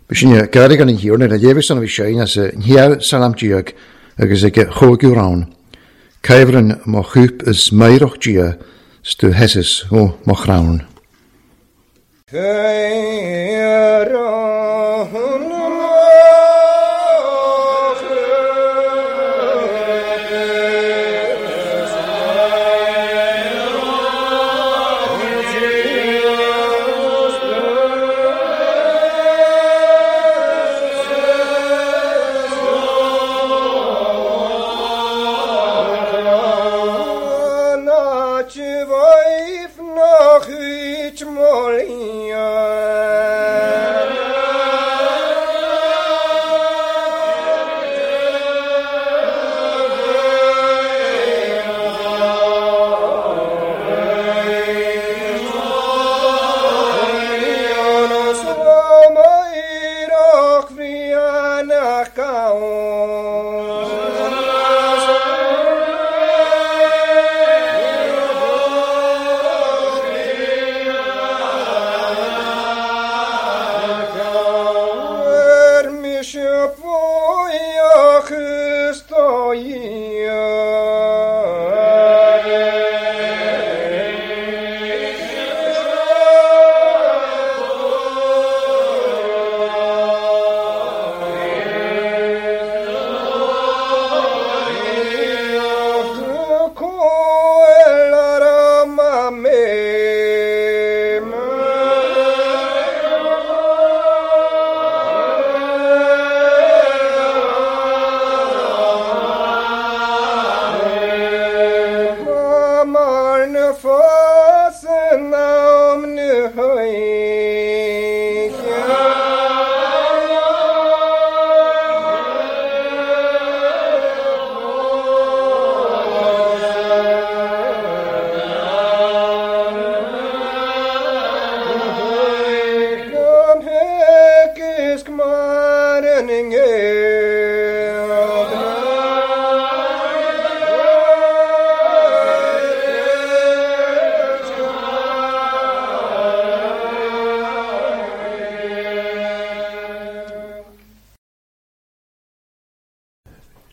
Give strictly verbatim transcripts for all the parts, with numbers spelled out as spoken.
B'shin gairg an thiarna le léamh san a bhí sé as a salam diag agus ag chóigiú rán. Caimhreann mo chúp is meirach dia stu hesis ó mo chrann.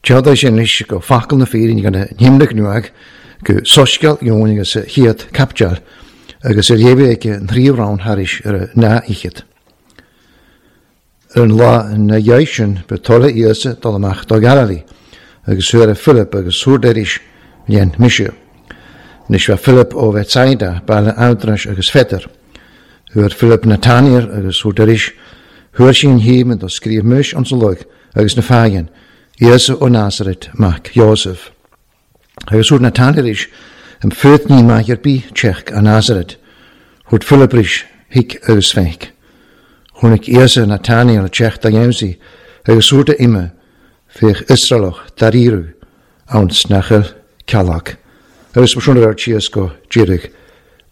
Teada sin leis go facal na féirín gan nimle nuag go soisceal Eoin agus chiad capteal agus ar léamh ag an thrí rán thairis ar na ichead. Ar an lá na dhiaidh sin ba tola Íosa dul amach do Galilee agus thuair Philip agus thuair dhéan mise. Anois bheith Philip ó Bethsaida, baile Aindreas agus Pheter. Thuair Philip Nathaniel agus thuair thuair sin híman do scríobh muis an sa loig agus na fághan, Íosa ó Nazaret mac Joseph. Agus thuair Nathaniel is am főt ní maith ar bí teach a Nazaret. Thuair Philip ris hic agus feic. Chonaic Íosa Nathaniel teach da Jamesie agus thuair de ime féach Israelach daríru ann snachel cealach. Agus mar sin ar tíos go díreach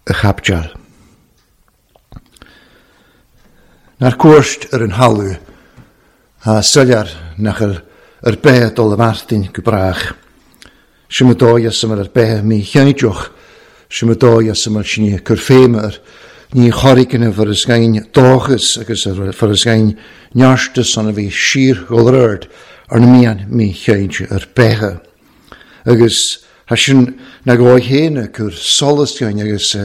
a chapteal. Nar cuairt ar an halú a soilear nachel ar beth dul y Martin go brach. Siym y doi as ymwyl ar beth mi chianidioch. Siym y doi as ymwyl sy'n ni cwrffeim ar ní chorig yn y fyrysgain dochus agus ar fyrysgain niarstus an a bhí sír gholrörd ar na mian mi chianidioch ar bethe. Agus ha sin na goi héna cur solas gain agus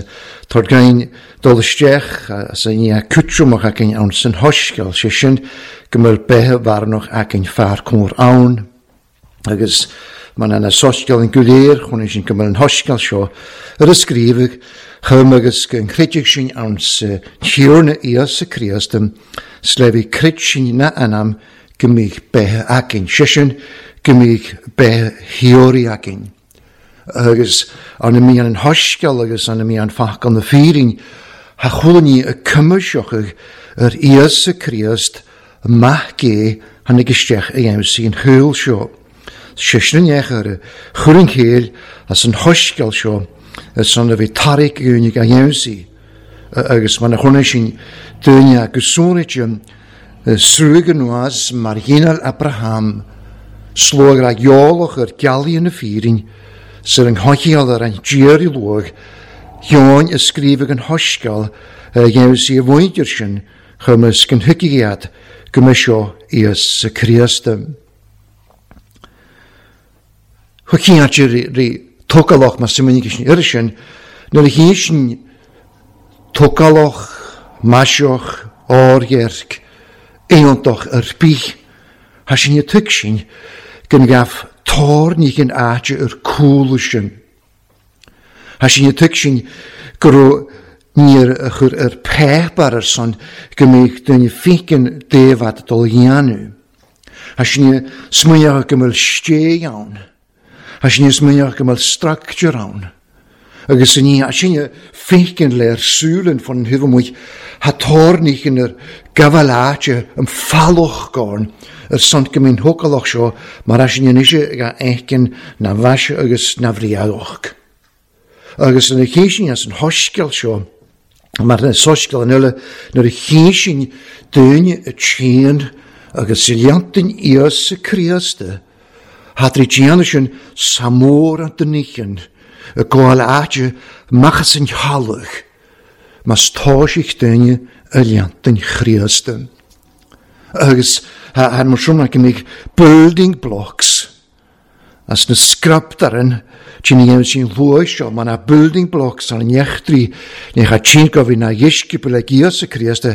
tar gain dul isteach as a ní a cútrumach againn ann san hoisceal sé sin go mbeadh bethe bharnach againn fear cór ann agus man an soisceal an guléir chun sin go mbeadh an hoisceal seo ar a scríobhadh chum agus go chreideadh sin ann sa Tiarna Íosa Críost slebhí crid sin na anam go mbeadh bethe againn sé sin go mbeadh bethe theorí againn. Agus an mí an hoisceal agus an mí an fac an na fírin ha chulaní a cymwysioch ar Íosa Críost maith gé tháinig isteach a dhéanamh an chúl seo. Sé sin eich ar chur an chéil as an hoisceal seo as an a bhí tarrac únig a dhéanamh agus man a chuna sin duine agus súnite sruag anuas mar ghéineal Abraham slóg ra geolach ar gealaí na fírin syr yng nghoicheal ar an diar i lwg, Ioan ysgrifig yn hoisgal, dhéanamh si a bhfuintir sin, Chymys gynhygiad gymysio Iesu Crist. Chwyciad ri togaloch mas sy'n mynd i yrsin, nuair a hísin togaloch, maisioch, o'r-dheirc, aontoch ar bith, ha sin i tug sin, gan gaf tórnig an áite ar cúla sin. Ha sin i tug sin go raibh níor a chur ar péipar ar son go mbeadh duine féiceann déabhad dul dhéanamh. Ha sin i smaoineach go mbeadh sté ann. Ha sin i smaoineach go mbeadh structure ann. Agus ní ha sin i féiceann léir súlan fan thuibh amuigh ha tórnig ar gabháil áite an fallach gorn ar son go mbíonn thócalach seo mar ha sin anois ga éicin na bhaise agus na bhriadoch. Agus yn y chésin as an hoscail seo, mar na soscail an eile nuair a chésin duine y tséan agus i leantain Iesu Crist, hadri déanamh sin samór an duníchan, y gabháil áite machas an thealach, mas tá sich duine y leantain Chríost. Agus har mar sin go mbeadh building blocks as na scraptaran sin dhéanamh sin luath seo, mar na building blocks an nechtrí ní cha tsin go bhí na dheisceabail ag Íosa Críost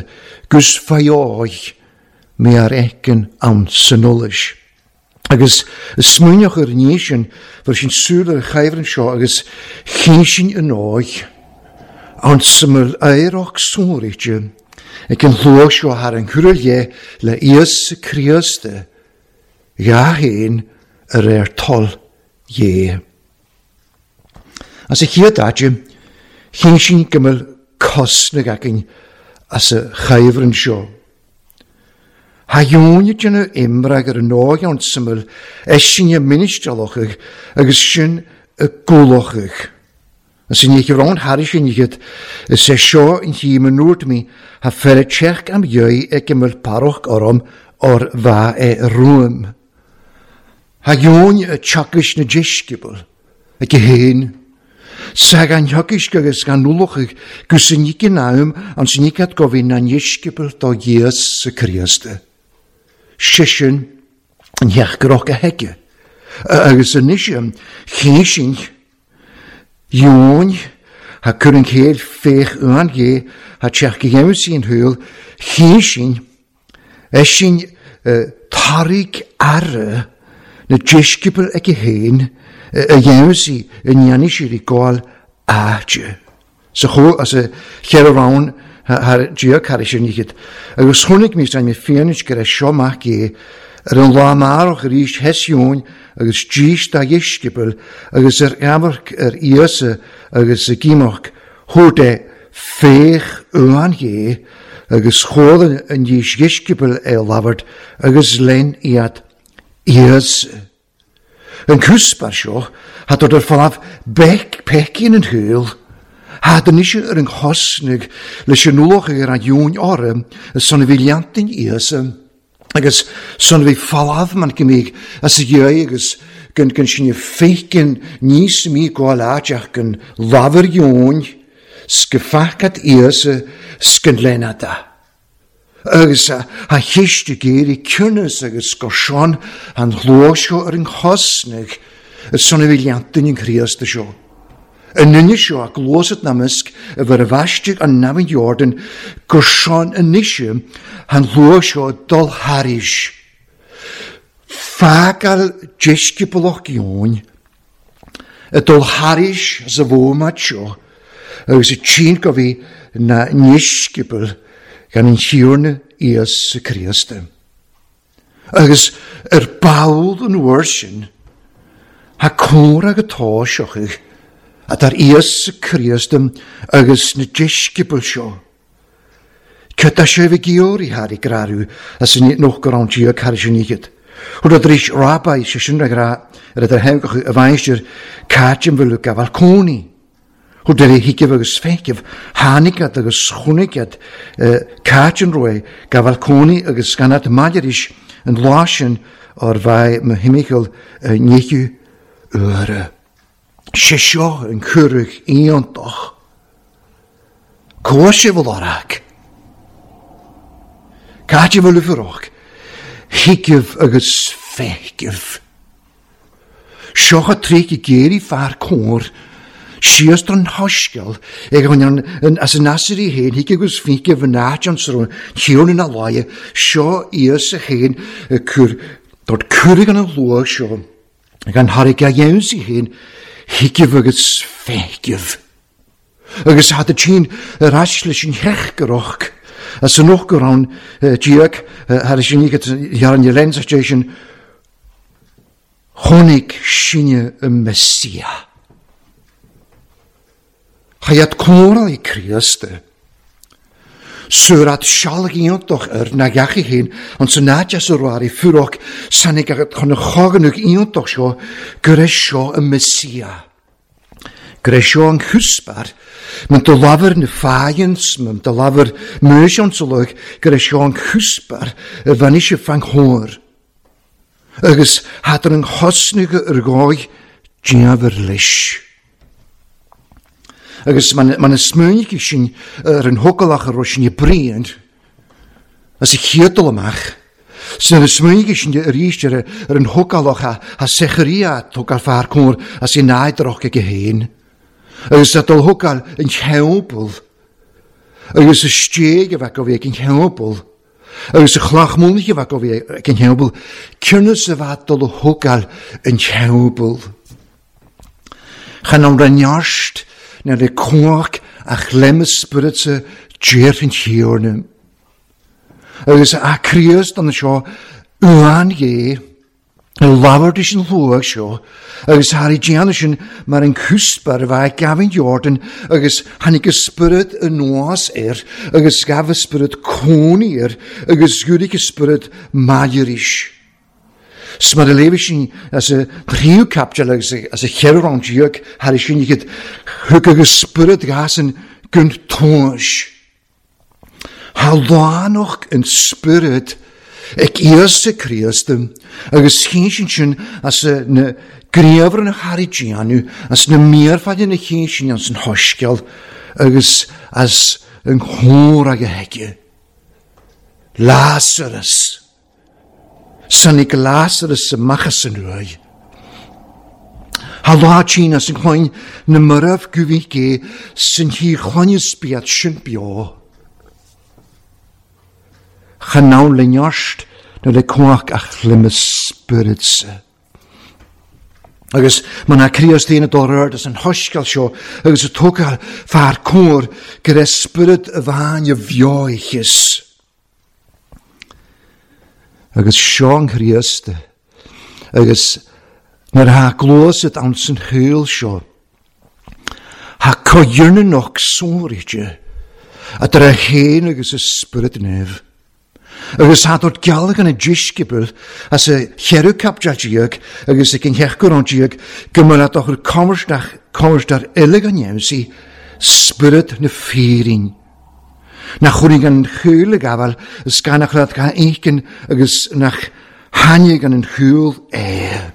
gus faoidh mé ar eicean ann san eolais. Agus smaoineach ar ní sin, bhí sin súil ar an chaimhreann seo agus chín sin an óig ann sa éireach sonraíte ag an luath seo thar an chuirle le Íosa Críost, dhá haon ar ar toil dhé. As a chéad áite, chín sin go mbeadh cosnach againn as a chaimhreann seo. Ha dheonaid ina imreag ar an óig ann syml eisin y ministralochach agus sin y gwlochach. As yn eich rôn haris yn eich is é seo yn hi yn nwrt mi ha fer tseach am iau ag ymwyl paroch orom o'r fa e rwym. Ha dheon y teachais na deisceabal ag y hen. Sa gan theachais agus gan nwlochach gus yn eich yn am an sy'n eich atgofyn na deisceabal do Iesu Crist. Sisin yn heach groch a hege. Agus yn eisiau chésin Dheon ha cur an chéad féach an dhé ha teach go dhéanamh sin thuil chésin eisin tairg aire na deisceabail ag a héin a dhéanamh sí i ndéanfaidh siad i gcáil áite. Sa chó as a cheithre rann thar Dia thar sin iad. Agus chonaic mé mé féin go raibh seo mac é ar an lá maireach arís heisiún agus dís dá dheisceabail agus ar amharc ar Íosa agus a gímeach thuair é féach uan dhé agus chólann an dís dheisceabail é labhairt agus lein iad Íosa. An cúspar seo had ar fáth bec pecín an thuil, had an isio ar an chosnag leis an uloch ar an dheon orm son a bhí leantain Íosa. Agus son a bhí falámh man go mbeadh as a dhéidh agus gan gan sin i féiceann níos mí gabháil áiteach gan lámhar dheon sgefacad Íosa sgan lenada. Agus a cheist a géirí ciúnas agus go sean an chló seo ar an chosnag son a bhí leantain an Chríost seo. An nunne seo a glósat namisc a bhur a bhaistigh an namhain Jordan gur sean anois an chló seo dul thairis. Fágáil deisceabalach dheoin a dul thairis as a bhómat seo agus a tsin go bhí na ndeisceabail gan an Thiarna Íosa Críost. Agus ar ball an uair sin, ha córa go tá seochaidh a dar Íosa Críost agus na deisceabail seo. Cad sé bhí georí thar i grarú as an noch go raibh Dia thar sin iad. Thuair a dris rábai sé sin a gra ar a heagach a bhainstear cátim bhfuil gabháil cónaí. Thuair a hiceamh agus féiceamh tháinig agus chonaic cátim roimh gabháil cónaí agus gan at maidiris an lá sin ar bhaith mo thimcheall níochu uaire. Sé seo an chuireadh iontach. Cóir sé bhfuil orach. Caidimh le furoch, thuigeamh agus feiceamh. Seo a tríocha géirí fear cóir, síos don hoisceal ag an as an asairí féin, thuig agus feiceamh an áit an srón, tíorna na láie, seo íos a féin, cur, dort curig an luach seo, ag an thairg a dhéansaí féin, thuigeamh agus feiceamh. Agus had a tsin ar ais leis an theachgarach, as an ochgarán díag, thar sin ar an lens station, chonaic sinne y Messia. Chaiad córal i Críost. Surat sialg iontoch ar na gachi heen, ond sy'n nadia sy'n rwar i ffwrog, sanig ag chon y choganwg iontoch sio, gyda sio y Messia. Gyda sio yn chwsbar, mae'n dylafer na ffains, mae'n dylafer mysion sylwg, gyda sio yn chwsbar, y fan eisiau fan hwyr. Agus hadr yn chosnig yr goi, diafr leis. Agus mae'n ma smwnig i sin ar an hogalach ar sin i brian, as i chiadol amach. Sy'n y smwnig i sin ar eist ar, ar an hogalach a, a secharia togal far cwr as i naidroch ag y hen. Agus a dol hogal yn cheobl. Agus y steg a fac o fi ag yn cheobl. Agus y chlach mwlnig a fac o fi ag yn cheobl. Cyrnus a fad dol hogal yn cheobl. Chan am reniarst na le cwach a chlem y spirit djeir yn hiornum. Agus a Críost an seo uan gé, y lafar dis yn llwag seo, agus har i dian sin mar an cwsbar fa gafin Jordan, agus hanig y spirit yn noas er, agus gaf y spirit coni er, agus gwrig y spirit mairish. Smar y lefi sin as y rhyw capjal agus as y cheron diog har i sin i gyd hwg ag y spirit gas yn gynt toes. Ha lanoch yn spirit ag Iesu Christ agus chyn sin sin as y na greifr yn y har i dianw as na mirfad yn y chyn sin as yn hosgel agus as yn hwyr ag y hege. Lazarus. Sanig Lazarus y machas yn rwy. Ha lá tîn as yn chloen na myraf gwfi ge sy'n hi chloen ysbiad sy'n bio. Chanawn leniarst na le cwach a chlym y spirit sy. Agus ma na Críost ein y dorard as yn hosgel sio agus y togal far cwr gyda spirit y fan y fioichus. Agus Sean Chríost, agus nar ha glósad an san hwyl seo, ha coyrnanoch sórige, a dyr a hen agus y spirit nef. Agus ha dod galag an y disgybl, as y cherw capjajiag, agus y gynhechgwr an diag, gymryd a doch yr comrsdach ilig an iemsi, spirit na ffeirin. Na chwrig an chwyl y gafal, ys gan ach rad gan eichen, agus nach hanig an chwyl e.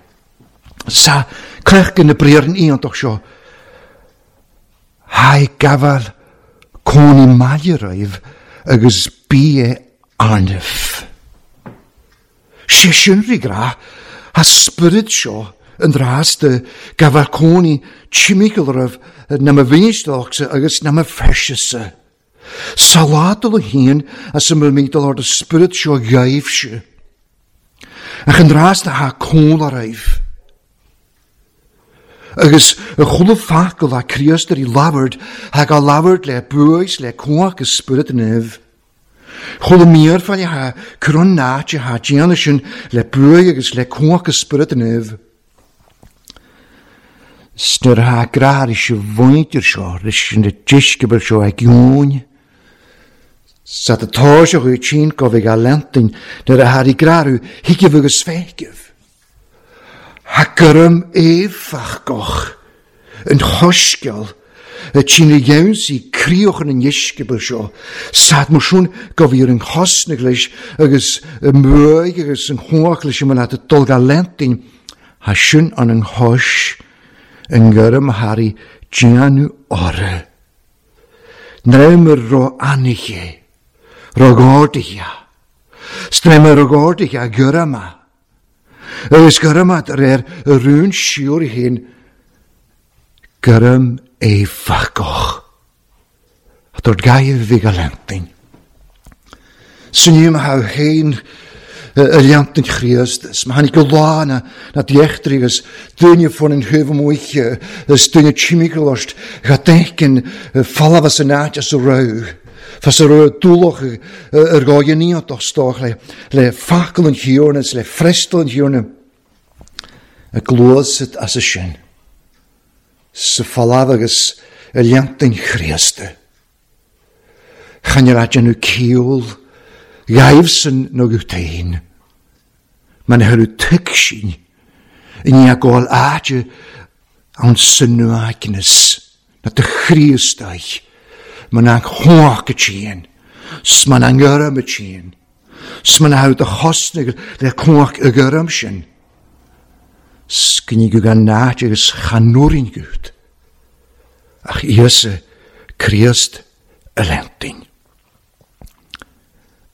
Sa crech gan y briar yn un doch sio. Hai gafal coni mairaiv agus bi e arnif. Se synri gra, ha spirit sio yn dras dy gafal coni chimigl na ma finisdalchsa agus na ma freshisa. Saladol y hyn as ymwyl meidol o'r spirit sio gaif sio. Ac yn dras da ha côn ar aif. Agus y chwle ffacl a Críost ar i lafard, hag a lafard le bwys le cwach y spirit nef. Chwle mirfan i ha cron nat i ha dian ysyn le bwy agus le cwach y spirit nef. Snyr ha grar eisiau fwynt i'r sio, rysyn y disgybl sio ag iwn. Sa dy tosio chwi tîn gofig a lentyn, nyr a har i grarw higif agus fegif. Ha gyrym efach goch, yn hosgel, y tîn y iawn si crioch yn ysgybl sio. Sad mwswn gofir yn hosnig leis, agus y mwy agus yn hwach leis yma nad y dolga lentyn, ha sy'n an yng hos, yn gyrym hari dianw ore. Nrem yr ro aniche, ro gordia, Strem ar gordich a gyrama. Agus gyrama ar y rŵn siwr i hyn, gyrym ei ffagoch. A dod gair fi galentin. Syniw ma haw hein y liantin Chríost, ma hannig go lá na na diechtrig as duine fon yn hyf mwych, as duine chimiglost, ga denken falafas yn áit as y rau. Fas y rau dúloch yr goianiot dostoch le, le ffacl yn hiwrnus, le frestl yn hiwrnus. Y glwysyd as y sin. Sy falaf agus y liantin Chríost. Chan yr adjan nhw ciwl, gaifsyn no gwtein. Mae'n hyrw tygsin, yn i agol adja awn synw agnes, na dy Chríostau. Mae'n ang hoach y tîn, sma'n angyrym y tîn, sma'n hawdd y chosnig le cwach y gyrym sin. Sgynnig yw gan nad agus chanwrin gwyd, ach Iesu Christ y lentin.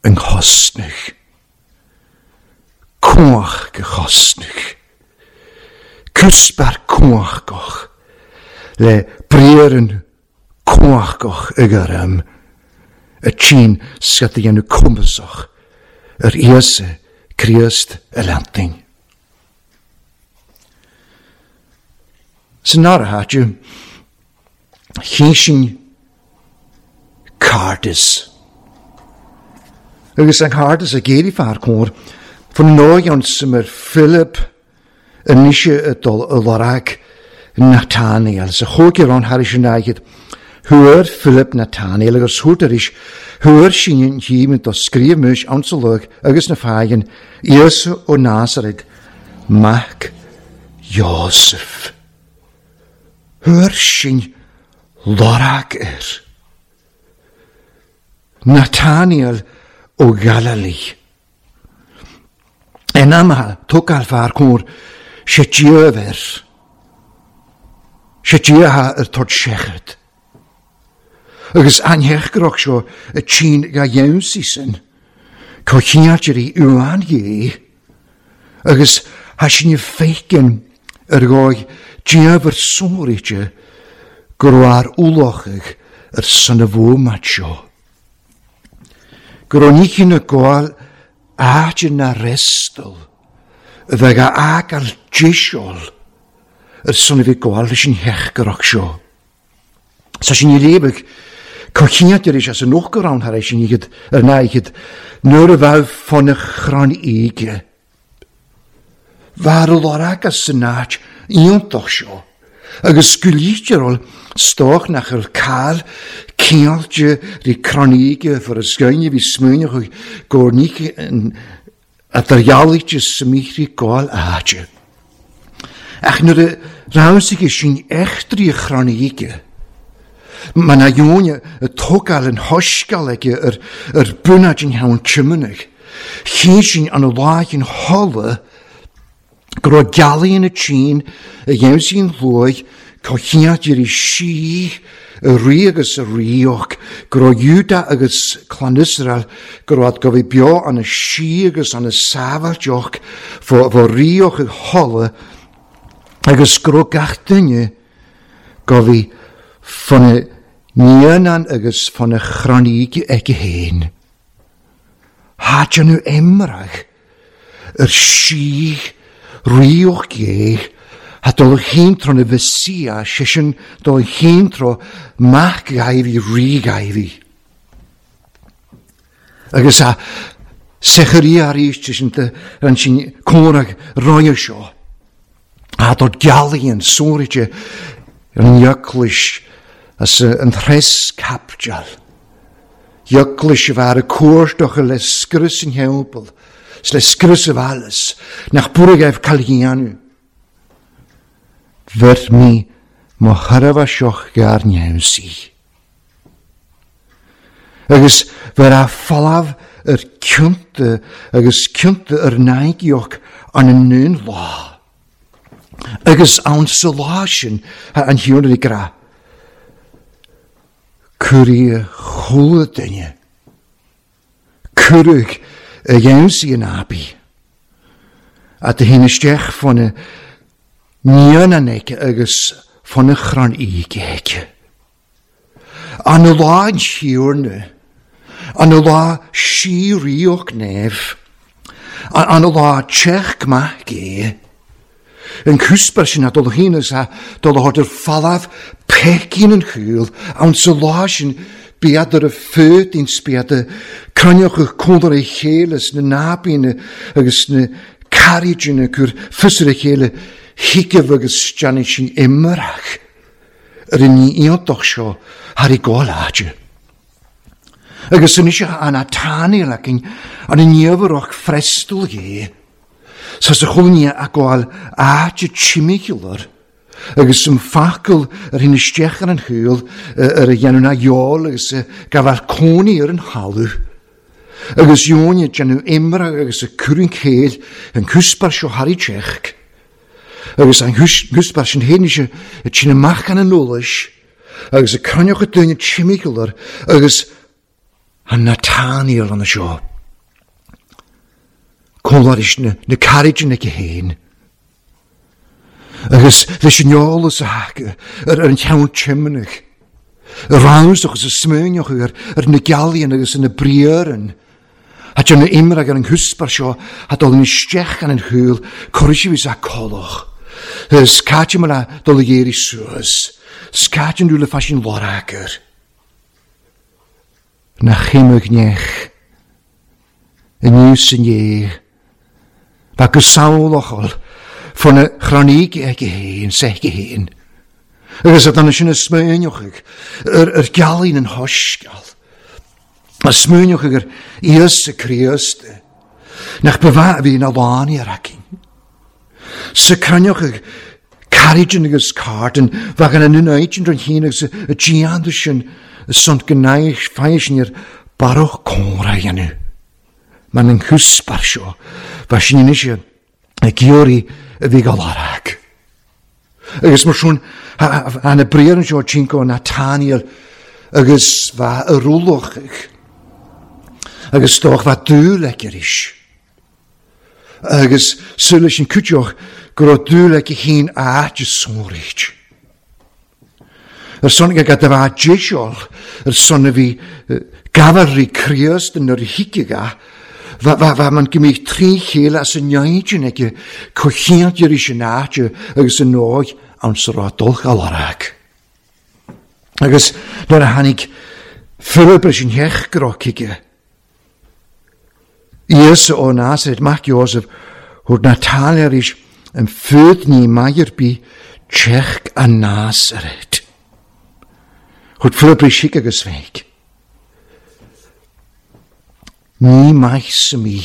Yng nghosnig, cwach gychosnig, cwsbar cwach goch, le brier yn cwach goch y gyrym, y tîn sgad i enw cwmbysoch, yr Iesu Christ y lentin. Sy'n ar hadw, chi'n cardis. Agus an cardis a géri far cór, fan nóion sy'n Philip yn nisio y dol y lorag Nathaniel. Sa chwg i'r on haris yn agid, hwyr Philip Nathaniel agus hwrt ar is, hwyr sy'n yn hym yn dosgrif mwys ansalwg agus na ffaigin, Iesu o Nazaret, Mac Joseph. Hwyr sy'n lorag yr. Nathaniel o Galilei. En amha tokal far cór sé djöver. Sé djöha yr tord sechad. Agus anhechgrach sio y tîn ga iewnsi sin. Cochiadir i uan ie. Agus ha sin i feikin yr goi djöver sóri'te gwrwar ulochig yr synafwmat sio. Gwronichyn y gwael aad na restol, y ddeg a ag al jisiol, yr son i fi gwael leis yn hechgyrach sio. Sa sin i lebig, cochiad yr eisiau sy'n o'ch har eisiau ni gyd, yr na i gyd, nwyr y faw ffon y chron eige. Far y lorag a synach iontoch sio. Agus sgwlítear ol stoch nach yr cael ceallte rí croníge for y sgynnu fi smwynach o'ch gornich a ddarjalíte smíchri gáil áte. Ach nuair y rawsig sy'n echtri y chroníge. Mae na iwne y togal yn hosgal ag yr, yr bwynad yn hawn tymynach. Chyn an y lág yn hola gro galu yn y tîn, y iawsi'n llwy, cochiad i'r i si, y ri agus y rioch, gro Iwda agus clan Israel, gro ad gofi bio an y si agus an y safal joch, fo, fo rioch y hola, agus gro gach dyne, gofi ffon y nianan agus ffon y chronig ag y hen. Hadjan nhw emrach, yr si, rioch ge, ha dol hyn tro na fysia, sesiwn dol hyn tro mach gaifi, ri gaifi. Agus a sechari ar eis sy'n ran sy'n cwrag roi sio. A dod galu yn sóri'te yn iaclis as yn thres capjal. Iaclis y far y cwrdoch y le sgrys yn helbl. Le sgrys y falus, nach bwrwg ef calhianu. Fyr mi mo chyrfa sioch gar niawsi. Agus fyr a ffalaf yr cynta, agus cynta yr naigioch an y nŵn la. Agus awn sy la sin an hiwn yr i gra. Cwri y chwla dyne. Cwrwg a dhéansaí an abaí. A do hín isteach fána níon an aici agus fána chrann íge aici. An lá an siúrna, an lá síríoch neamh, an lá teach maith gé. An cúspar sin a dul hín is a dul a thort ar falaf pecín an chúil, an sa lá sin bíadar a fötin spiada cranioch a cólar a chéile na nábíne agus na carriagine cur fusar a chéile hicamh agus deanna sin imarach ar an ní iontach seo thar i gáil. Agus san isio an Nathaniel acin an an níomharach frestal gé. Sa sa chulnia a gáil áte timicular agus an facail ar hín isteach ar an chúil ar a dhéanamh na dheol agus gabháil cónaí ar an thalamh. Agus dheoine déanamh imra agus a cur an chéil an cúspar seo thar i teach. Agus an cúspar sin héin se a tsin amach an an eolais agus a cranioch a duine timicular agus an Nathaniel an seo. Cólar is na, na carriage na chéin. Agus leis an eolas a haca ar ar an cheann timnach. Y rawsach agus y smwynioch ar, ar na gealaíon agus na briaran. A dyn na imrag ar an hwsbar seo a dol yn isteach an an hwyl corisi fys a coloch. Scaitio ma dol y geiri suas. Scaitio nhw le ffasiwn loragr. Na chymwg nech. Yn niws yn ie. Ba gysawl ochol. Fona chronig ag hen, sech hen. Agus a dan sin y smwynioch yr, yr galun yn hosgal. A smwynioch yr Iesu Christ. Nach byfa fi na lani ar acin. Sa cranioch ag carriage agus carden, fag an yn oed yn hyn agus y giand sin y sont gnaich ffaes ni'r baroch cora ianw. Mae'n yn hwsbar sio, fa sin yn eisiau y giori y fi gael arag. Agus mar siwn, an y briar yn sio cinco Nathaniel, agus fa y rwlwch, agus doch fa dŵl ag is. Agus sŵl sin cwtioch gyro dŵl ag hyn a dy sôrich. Yr son ag adaf a jesiol, yr son fi gafar i Christ yn yr higiga, Fa, fa, fa ma'n gymryd tri chéile as yn iaid ag cochiant i'r eisiau naid agus yn oed awn sy'n rhaid dolch alarag. Agus nuair a tháinig Philip sin theach grocaige. Iesu ó Nazaret, mac Joseph, hwr Nathaniel is yn ffyd ni mai'r bi teach a Nazaret. Hwr Philip is hic agus feig. Ní maith sa mi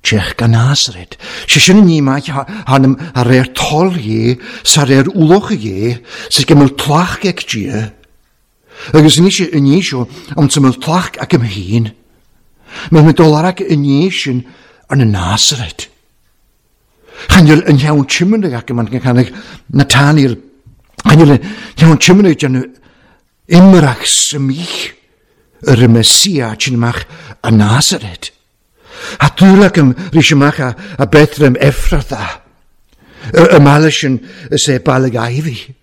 teach gan Nazaret. Se sin ní maith hanam a réir tol dhé, sa réir uloch dhé, sa gymryd tlach ag dia. Agus ní sé yn seo am sa myl tlach ag ym hyn. Mae my dolarag yn sin yn y Nazaret. Chanel yn iawn timynau ac yma'n canag Nathaniel. Chanel yn iawn timynau dyn imrach sa mich yr y Mesia sy'n mach a Nazaret. A dŵl ym rhys ymach a, a Bethlehem Ephratha. Y malys yn y se balag aifi.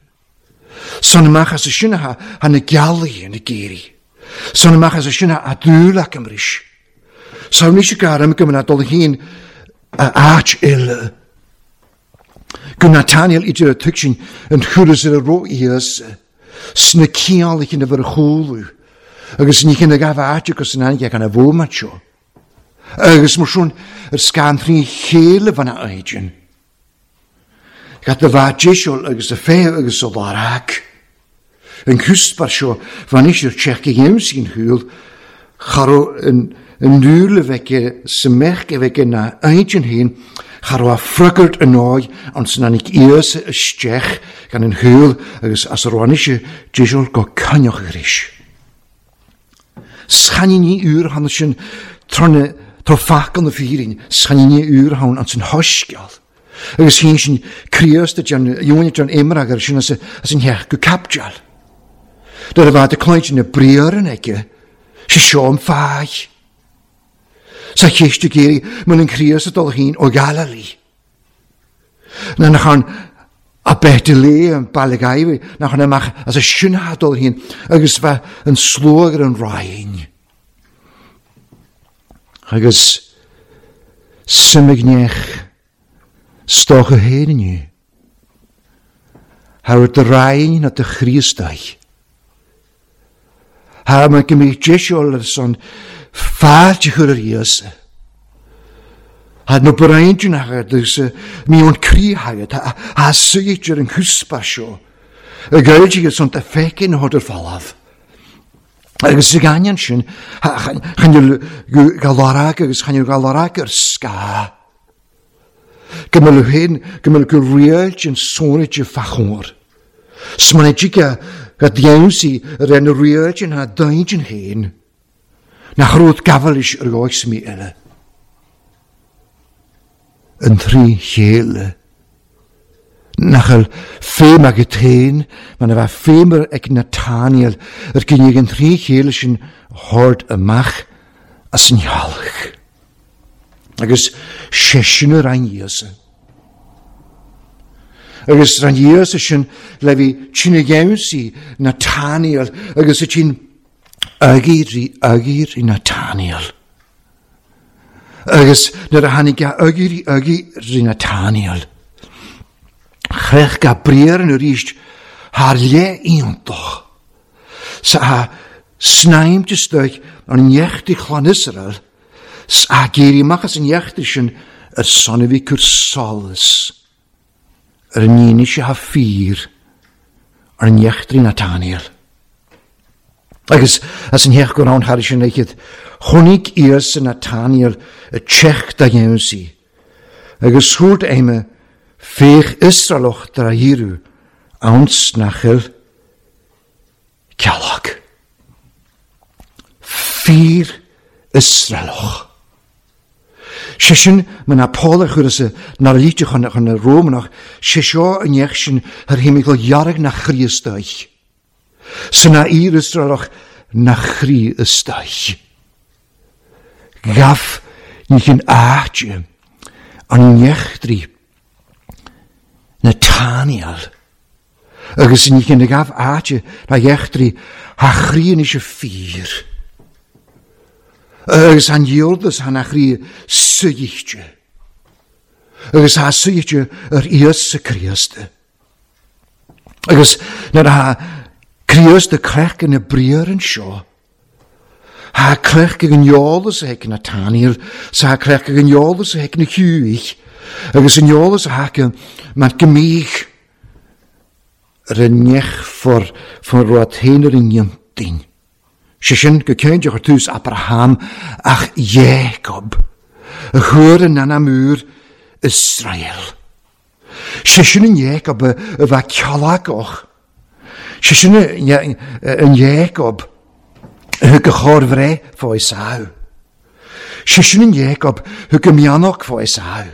Son ymach as y sy'n ha han y galu yn y geiri. Son ymach as y sy'n a dŵl ac ym rhys. Sawn eisiau gair am gymryd dol hyn a ach il. Gwn Nathaniel idir y tygsin yn chwrys yr ro ias sna cial i cyn efo'r chwlw. Agus ní cyn y gaf áit agus yn anige gan y fwmat sio. Agus mar siwn yr sgan thrin chéile fan a oedyn. Gat y fa jesiol agus y fe agus y larag. Yn cwsbar sio fan eisiau'r tsech i sy'n hwyl charo yn yn nŵl y fece symech e fece na oedyn hyn charo a ffrygwrt yn oed ond sy'n anig ias y stech gan yn hwyl agus as yr oan eisiau jesiol go cynioch yrys. Schanin ni uur han sin tronne tro fac an y ffyrin, schanin ni uur han an sin hosgial. Agus hyn sin Christ jan Iwan jan imrag ar sin as as yn hech go capjal. Dar a fad y cloed yn y briar yn ege, si sio am ffai. Sa cheist ag iarraidh muna an Críost ag dul féin ó Galilee. Na nach ann a bheith le an baile gaibh nach ann amach as a sinna dul féin agus bheith an slóg ar an Roinn. Agus suimigneach stocha féin inniu. Thar de Roinn na de Chríostaí. Thar mar go mbeidh deisiúil ar son fáilte chur ar Íosa. Thar na braintún agat agus mí ón croí agat a suítear ar an chuspa seo. A gailtigh son ta feiceann na hodar falamh. Agus sa gcainneann sin, chan galarach agus chan galarach ar scáth. Go mbeadh féin, go mbeadh go riailt an sónite fachóir. Smaointigh go dhéansaí ar an riailt an ha daint an féin. Nach rud gabhailis ar dhóigh mí eile. An trí chéile. Nach bhfuil féim agat féin, mar a bheith féimar ag Nathaniel ar gcinneadh an trí chéile sin thabhairt amach as an ghealach. Agus sé sin ar an Íosa. Agus ar an Íosa sin le bhí tine gheansaí Nathaniel agus a tsin agir rí agir rí Nathaniel. Agus nuair a tháinig a agir rí agir rí Nathaniel. Chreach Gabriel yn arís thar le iontach. Sa a snaim isteach an neachtaí chlann Israel, sa a géirí amach as an neachtaí sin ar son a bhí cur solas ar an ndéine se ha fíor ar an neachtaí Nathaniel. Agus as an heach go raibh thar sin aici, chonaic Íosa Nathaniel a teach da gheansaí. Agus thuairt aime féach Israelach dar a dhíriú anns nach bhfuil ceallach. Fíor Israelach. Sé sin mar na Paul a chuir sa nar líte chun chun na Rómanach, sé seo an neach sin thar théimidh go dhearg na Chríostaí. Sa na fhíor Israelach na Chríostaí. Gaf ní chin áite an neachtraí Nathaniel. Agus ní chin gaf áite na dheachtraí ha chríon is a fíor. Agus han dheordas han a chrí suíchte. Agus ha suíchte ar Íosa Críosta. Agus nuair a Críosta crech na briar an seo, ha crech ag an eolas a ag Nathaniel, sa ha crech ag an eolas a ag na Hughie, agus an eolas a haca mar gymig ar an nech for for rud féin ar an dhéantain. Sé sin go ceann ar tús Abraham ach Jacob, a chuir an anam úr Israel. Sé sin an Jacob a bheith ceallachach. Sé sin an Jacob a thug a chóir bhreith fá Esau. Sé sin an Jacob thug a mianach fá Esau.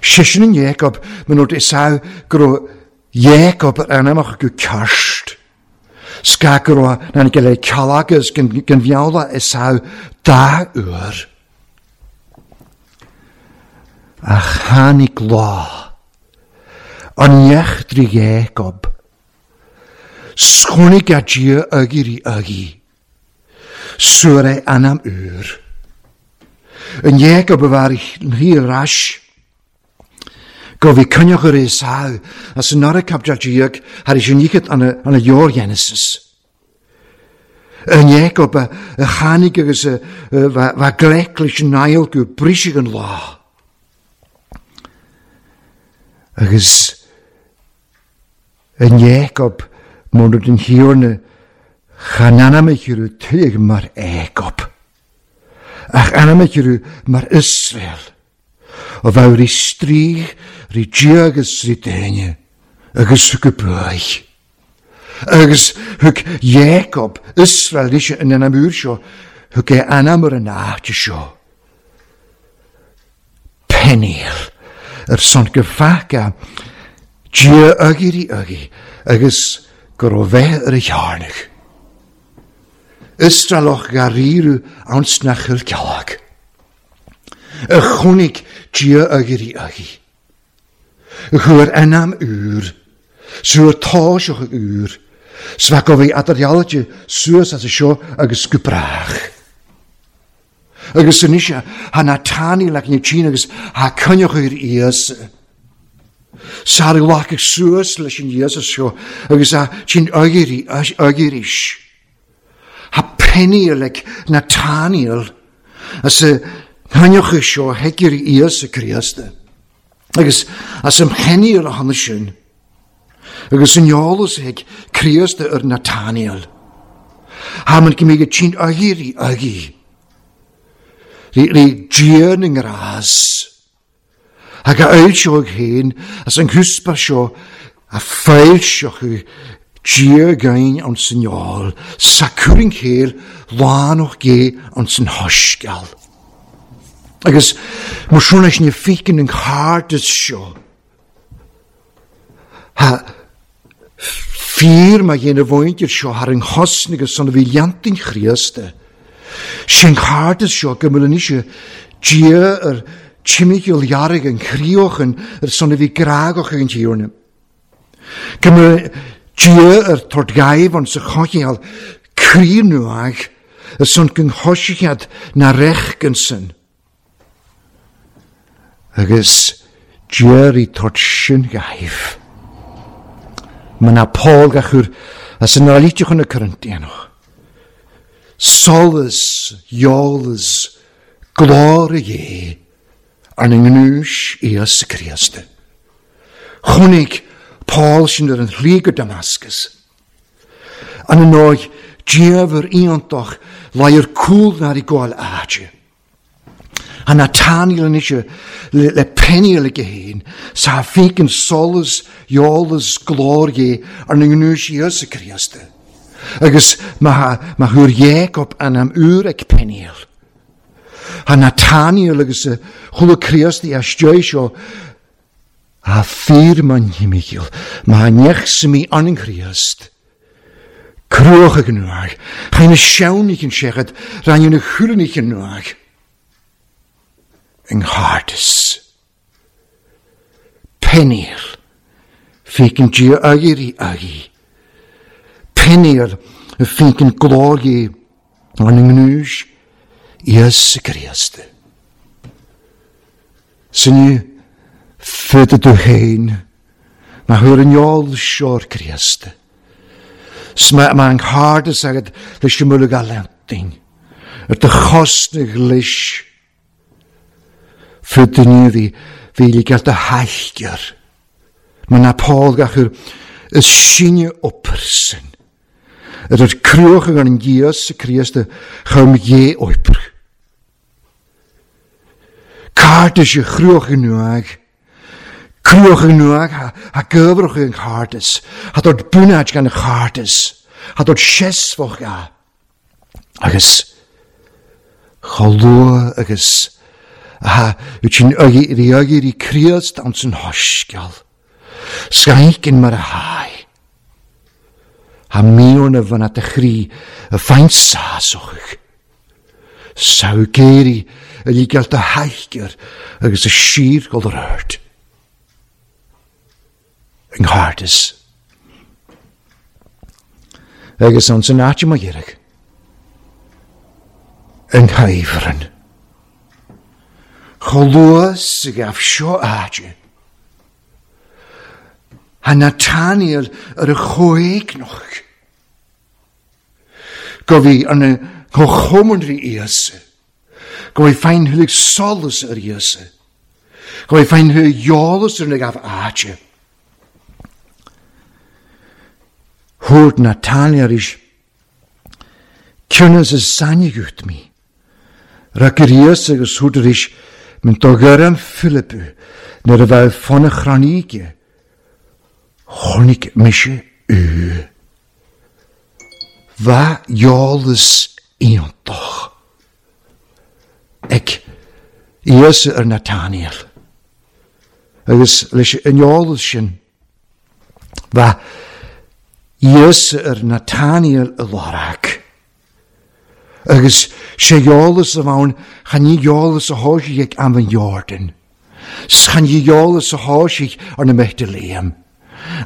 Sé sin an Jacob man úirt Esau go raibh Jacob ar anamach go ceart. Sca go raibh na go le ceallagus gan bheola Esau dá uair. Ach tháinig lá an neachtraí Jacob. Schonig a Dia agir i agi. Suar é anam úr. An Jacob a bhar i ras. Go bhí cynioch ar Esau as an nara capdal Diag thar is uníchat an a leor Genesis. An Jacob a tháinig agus a bha gleic leis an Niall go brisig an lá. Agus an Jacob mór den thiorna chan anam a tuig mar Jacob. Ach anam a mar Israel. O bheith rí strígh, rí Dia agus rí daoine, agus thug a buaidh. Agus thug Jacob, Israel leis an anam úr seo, thug é anam ar an áite seo. Peniel, ar son go faca, Dia agir i agi, agus go raibh bheith ar a chearnach. Israelach garíru ans nach chuil ceallach. Y chwnig Dia agyr i agi. Y chwyr enam ŵr, sŵr táiseach ag ŵr, sfa go bhí adarialite suas as y seo agus go brach. Agus yn eisiau, ha Nathaniel ac ni agus ha cynioch i'r Iesu. Sar lach ag suas leis an Iesu seo agus ha ti'n agyr is. Ha Peniel ag Nathaniel as y cynioch i seo hegyr i Iesu Christ. Agus as ym Peniel ohono sin. Agus yn iolus ag Christ yr Nathaniel. Ha ma'n gymryd ti'n agyr i agi. Ri, ri Dia yng ngras. Ac a eilsioch hyn, as yn hwsbar sio, a ffaelsioch chi Dia gain ond sy'n iol, sacwr yn cael, lân o'ch ge ond sy'n hosgal. Agus mor siwn eich ni ffeicyn yn chardys sio. Ha ffyr mae gen y fwynt i'r sio har yng nghosnig y son o fi liantyn Christ. Sy'n chardys sio gymryd yn eisiau Dia yr timigil iarig yn crioch yn yr son o fi gragoch yn tiwn. Gymryd Dia yr tordgaif ond sy'n chogial cri nhw ag y son gynghosiad na rech gynsyn. Agus Dia i tord sy'n gaif. Mae na Paul gachwr as yn ralitiwch yn y Corinthianwch. Solas, iolas, glór Dé, ar na ngnúis Iesu Christ. Chwnig Paul sy'n yr yn lli go Damascus. An yn oed Dia fyr iontach lai'r cwl na'r i gwael aje. A Nathaniel yn eisiau le, le Peniel ag hyn, sa ffeicyn solas, iolas, glór Dé ar na ngnúis Iesu Christ. Agus mae ma hwyr Jacob an am ŵr ag Peniel. Ha Nathaniel agus y chwlw Christ i astio'i sio a ffyr ma'n hymigil, mae nech sy'n mi an yn Christ. Crwch ag nwag, chain y siawn i'ch yn siarad, rhan yn y chwrn i'ch yn nwag. Yng nghardys. Peniel, ffeicyn Dia agyr i agi. Peniel, y ffeicyn glór Dé an yng ngnúis Iesu Christ. Sy'n ni ffydd ydw hein, mae hwyr yn iol sio'r Christ. Mae ma anghardus agad leis y mwlwg alenting. Yr dy chosnig leis. Ffydd ni fi, fi i gael dy hallgyr. Mae na Paul gachwr y sinio o person. Yr yr crwch yn gan Iesu Christ y chawm ie oepr. Cardys y chrwch yn nwag. Crwch yn nwag ha, ha gyfrwch yn chardys. Ha dod bwnad gan y chardys. Ha dod siesfoch ga. Agus cholwa agus ha yw agi agi i Christ ond sy'n hosgal. Sgaicyn mar a hau. Ha miwn y fan at y chri y ffaint sasoch. Saw geiri y ligael dy haigr agus y sir gol yr erd. Yng nghardys. Agus ond sy'n atio mae gyrag. Yng nghaifryn. Cholwas y gaf sio atio. Ha Nathaniel yr y chwegnoch. Gofi yn y chomwn ri Iesu. Gofi ffain hylig solus yr Iesu. Gofi ffain hylig iolus yr gaf atio. Hwrt Nathaniel is cynnas y sanigwt mi. Rhaid yr Iesu agus hwrt yr is mynd dogyram Philippu neu'r y fel ffon y chronige. Chronig mishe u. Va iolus iontoch. Ag Iesu yr Nathaniel. Agus leis yn iolus sin. Va Iesu yr Nathaniel y lorag. Agus sé eolas a bhain chan ní eolas a thóisí ag am an Jordan. Chan ní eolas a thóisí ar na meichte léim.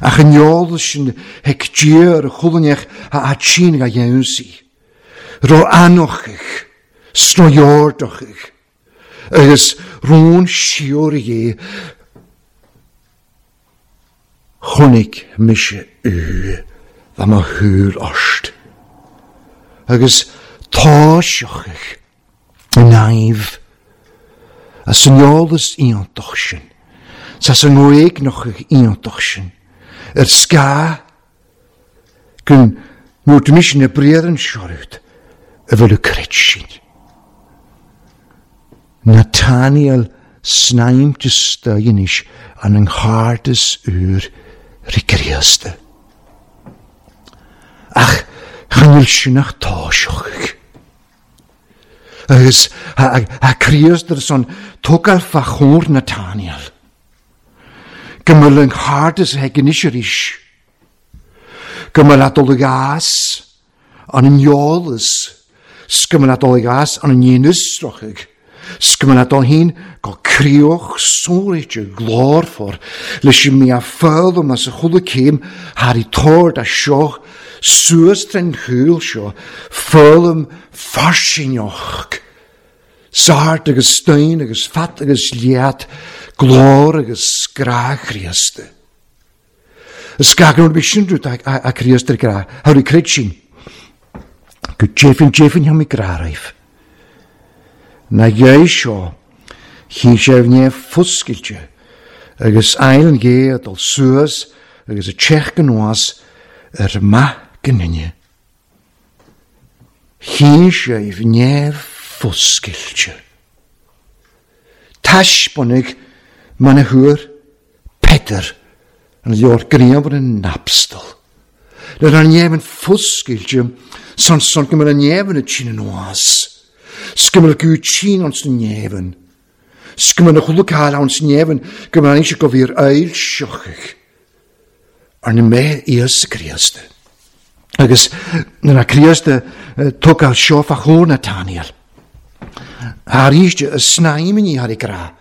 Ach an eolas sin ag Dia ar chulainneach a atsín a dhéansaí. Ró anochach, snoiordachach, agus rón siúr é chonaic mise ú dá mo thuúr ost. Agus táiseachach an aimh as an eolas iontach sin, as an ngréignachach iontach sin, ar scá gun nuair mise na bréaran seorút a bhfuil creid sin. Nathaniel snaimte stoinis an an chardas úr ricríosta. Ach chanil sinach táiseachach. Agus a Críost son tógáil fa chóir Nathaniel. Go mbeadh an chardas ag an arís. Go mbeadh a dul gas an an eolas. Go mbeadh a dul gas an an dhéanúsrochaidh. Go mbeadh a dul hín go críoch sóirite glórfar leis an mí a foghlaim as a chuile céim thar i tord a seo suas den chúil seo foghlaim fairsingeach. Sart agus stein agus fat agus liat glór agus grá Chríosta. Is gach bí sin rud a Chríost ar grá, thar i creid sin. Go deimhin deimhin thá mé grá raibh. Na dhéi seo, chí sé bhné foscailte, agus ail an gé a dul suas agus a teach go ar maith gninne. Chí sé bhné foscailte. Taispeánaigh man a thuair Peter an leor gríomhar an napstal. Le an néamh foscailte san san go mbeadh an néamh na tine anuas. Go mbeadh go tsin ans na néamh. Go mbeadh chuile ans néamh go mbeadh an go bhír ail seochaidh. Ar na mé Íosa Críosta. Agus nuair a Críosta tógáil seo fa chóir Nathaniel. Arís a snaimní thar i grá.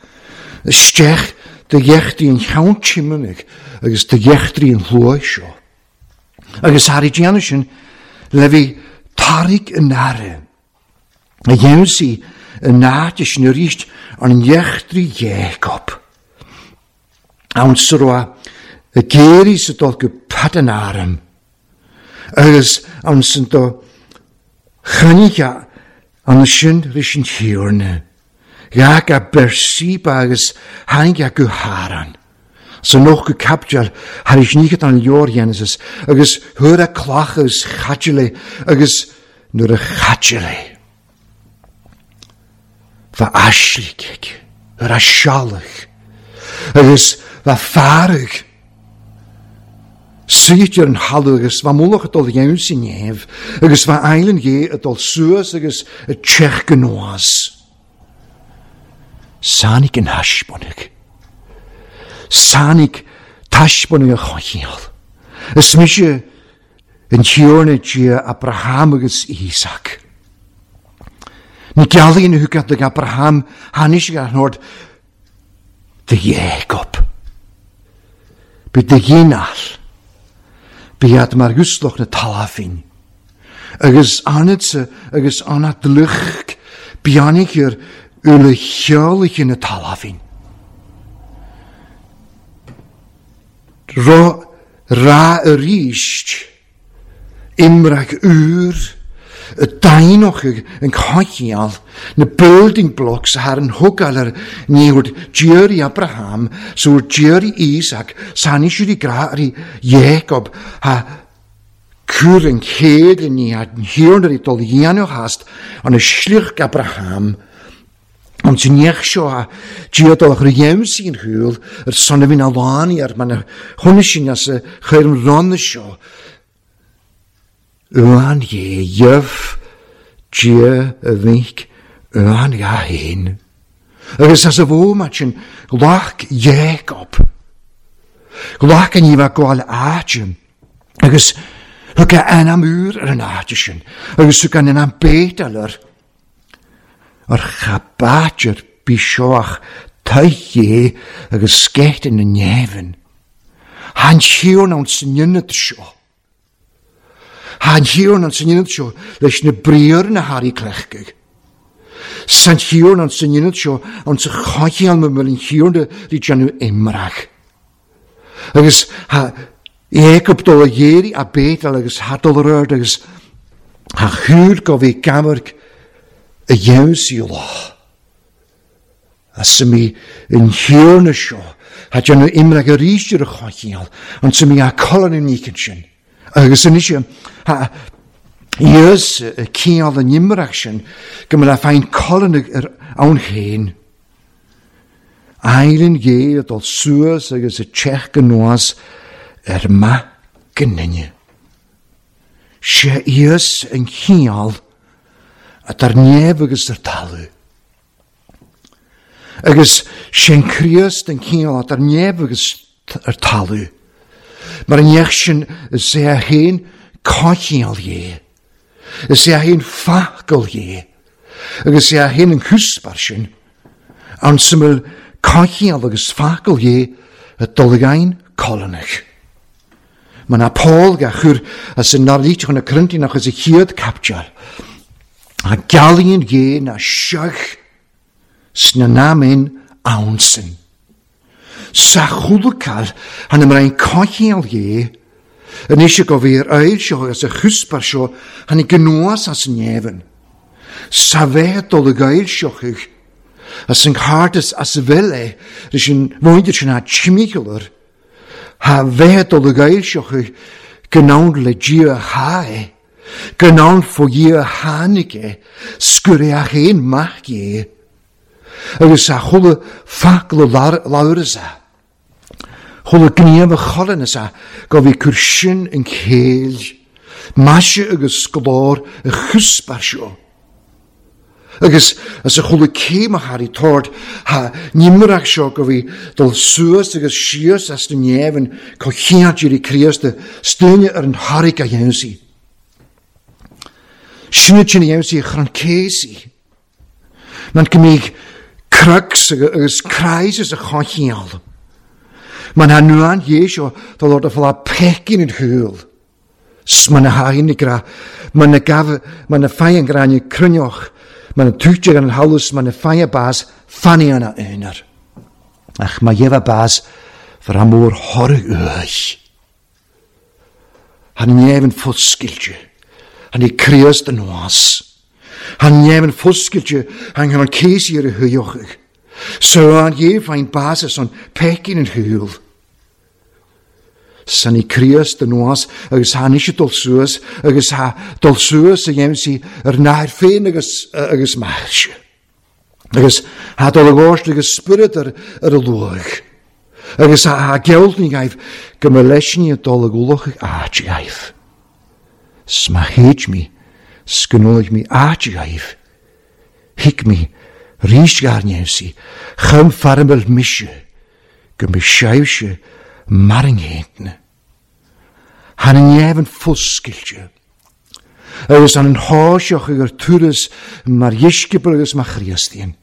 Isteach de dheachtaí an cheann tiomanaigh agus de dheachtaí an shlua seo. Agus thar i déanamh sin le bhí tarraig an aire. A dhéansaí an áit sin arís an dheachtaí Jacob. Ann sa raibh a géirí sa dul go Padan Aram. Agus ann san do chainnigh an sin ris an thiarna. Gach a Beersheba agus tháinig a go Haran. Sa noch go capdeal thar is níchat an leor Genesis agus thuair a clach agus chaitile agus nuair a chaitile. Bha aisligh ar a sealach agus bha fearg. Suite ar an thalamh agus bha mullach a dul dhéanamh sin néamh agus bha ailean dhé a dul suas agus a teach go nuas. Sáinig an thaispeánaigh. Sáinig taispeánaigh a choinneáil. Is mise an Tiarna Dia Abraham agus Isaac. Na gealaí na thugat ag Abraham tháinig sé ar an de Jacob. Bí de ghéineall. Bí mar gusloch na talafin. Agus anatsa agus anat lucht biannig ar ule cheoliche na talafin. Ro ra arís imrach úr y dainoch yn cochial na building blocks har an thugáil ar níor Jerry Abraham so Jerry Isaac san isio i grá Jacob ha cúr an chéad ní an hiarnar i dul dhéanamh hast an y slioch Abraham Ond sy'n iech seo a diodol ach rydym sy'n hwyl yr son a fi'n alani ar man hwn sy'n as y chwer yn ron seo. Uan ie yf dia y fync uan ia hyn. Agus as y fo ma sy'n glach Jacob. Glach yn ifa gwael ajym. Agus Thug a ainm úr ar an áit sin, agus thug an ainm Bétel air. Ar cha b'áit ar bith seo ach taigh agus sceith na neamhain. Han shion ann san ionad seo. Han shion ann san ionad seo leis na briathra na hairí cleachtaidh. San shion ann san ionad seo ann sa choicheall ma bhfuil an shion rí déanamh imreach. Agus ha Jacob dul a dhéirí a Bétel agus ha dul ar ard agus ha chúil go bhí gamarc a dhéansaí lá. A mí an shion seo ha déanamh imreach arís ar a choicheall an sa mí a colann an nícin sin. Agus anois ha Ios ciall an imreach sin go mbeadh féin colann ar ann féin. Eilean gé a dul suas agus a teach go nuas ar maith go ninne. Sé ios an chiall at ar neamh agus ar talamh. Agus sé an Críost an chiall at ar neamh agus ar talamh. Mar an neach sin is é a haon coicheall dhé. Is é a haon facal dhé. Agus é a haon an cúspar sin. An syml coicheall agus facal dhé a dul again colonnach. Ma na Paul ga chur as an narlít chun na Corinthianach as a chéad capteal. A gealaíonn dhé na seach sna namin ansin. Sa chulacal han am rein coicheall dhé anois go bhí ar oil seo agus a chuspar seo han i gnuas as an neamhan. Sa bheith dul ag oil seochaidh as an cartas as a bhfuil é leis an mhuintir sin a tsimíchealar ha bheith dul ag oil seochaidh go n-ann le Dia ha é, go n-ann fo Dhia tháinig é, sgur é a chéin mac é, agus a chuile facal labhras a. Chuile gníomh a cholann is a go bhí cur sin an chéill, maise agus scolár a chuspar seo. Agus as a chuile céim a thar i tord ha nimreach seo go bhí dul suas agus síos as na neamhain co chiant i Críost stúine ar an thairg a dhéansaí. Sinne sin a dhéansaí a chrann céasaí. Man go mbíodh crux agus crisis a choicheall. Man ha nuan dhé seo dul ort a fáil pecin an chúl. Man na hain gra, man na gaf, man na fain gráinne cruinneoch, man na túte an halus, man na fain bas, fanny an a aonar. Ach ma dhebha bas, for a mór thoradh uaidh. Han neamhan foscailte, han i Críost an nuas. Han neamhan foscailte, han han céisi ar a thuiochaidh. So an dhé fain bas an pecin an chúl. San i Críost an nuas agus ha níos dul suas agus ha dul suas a dhéanamh sí ar náir féin agus agus mairse. Agus ha dul agóist agus spiorad ar ar a luach. Agus ha ha geoltní gaibh go mba leisní a dul ag ualach áit gaibh. Sma chéid mi, sgnólaigh mi áit gaibh. Hic mi, rís gairneamh sí, chum farmel mise, go mba seibhse marringhéintne. Han an neamhan foscailte. Agus an an háiseach ag ar turas mar dheisceabal agus mar Chríostaíonn.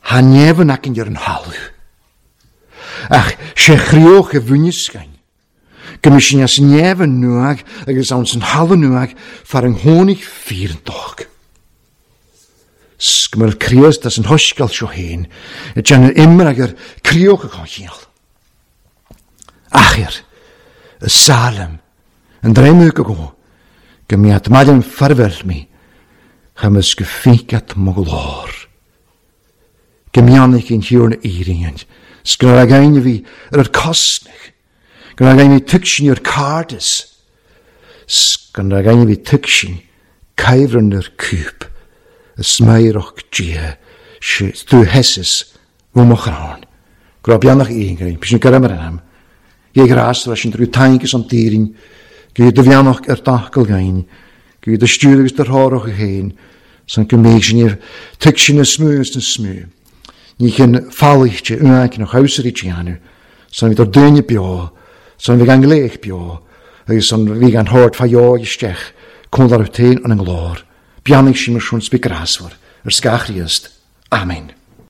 Han neamhan aicinn ar an thalamh. Ach sé chríoch a bhuineascain. Go mba sin as neamhan nuag agus ann san thalamh nuag far an thóinig fírantóg. Sgmar Críost as an thoscail seo féin, a déanamh imreach ar críoch a choicheall. Achir, y Salem, yn dreimwg o go, go mi at madyn ffarfel mi, chymys gyffigat moglor. Go mi anich yn hiwr na eiringan, sgynnar ag ein fi ar yr cosnach, gynnar ag ein fi tygsin i'r cardis, sgynnar ag ein fi tygsin caifryn yr cwp, y smaeroch gia, drwy hesus, fwmochrán. Grobianach un gyrra'n, pysyn gyrra'n yr anam. Ie gras leis an drwy taingus an dýrin, go do bheannach ar dachal gain, go do stiúr agus do thárach a héin, san go méid sin iar tuig sin na smú agus na smú. Ní chin fáilte uain nach hausarí teanú, san bhí ar duine beo, san bhí gan léich beo, Agus an bhí an thord fa dheoidh isteach, cúl dá raibh féin an nglór. Beannaigh sí mar sin 's bí grásmhar, ar scáth Chríost. Amen.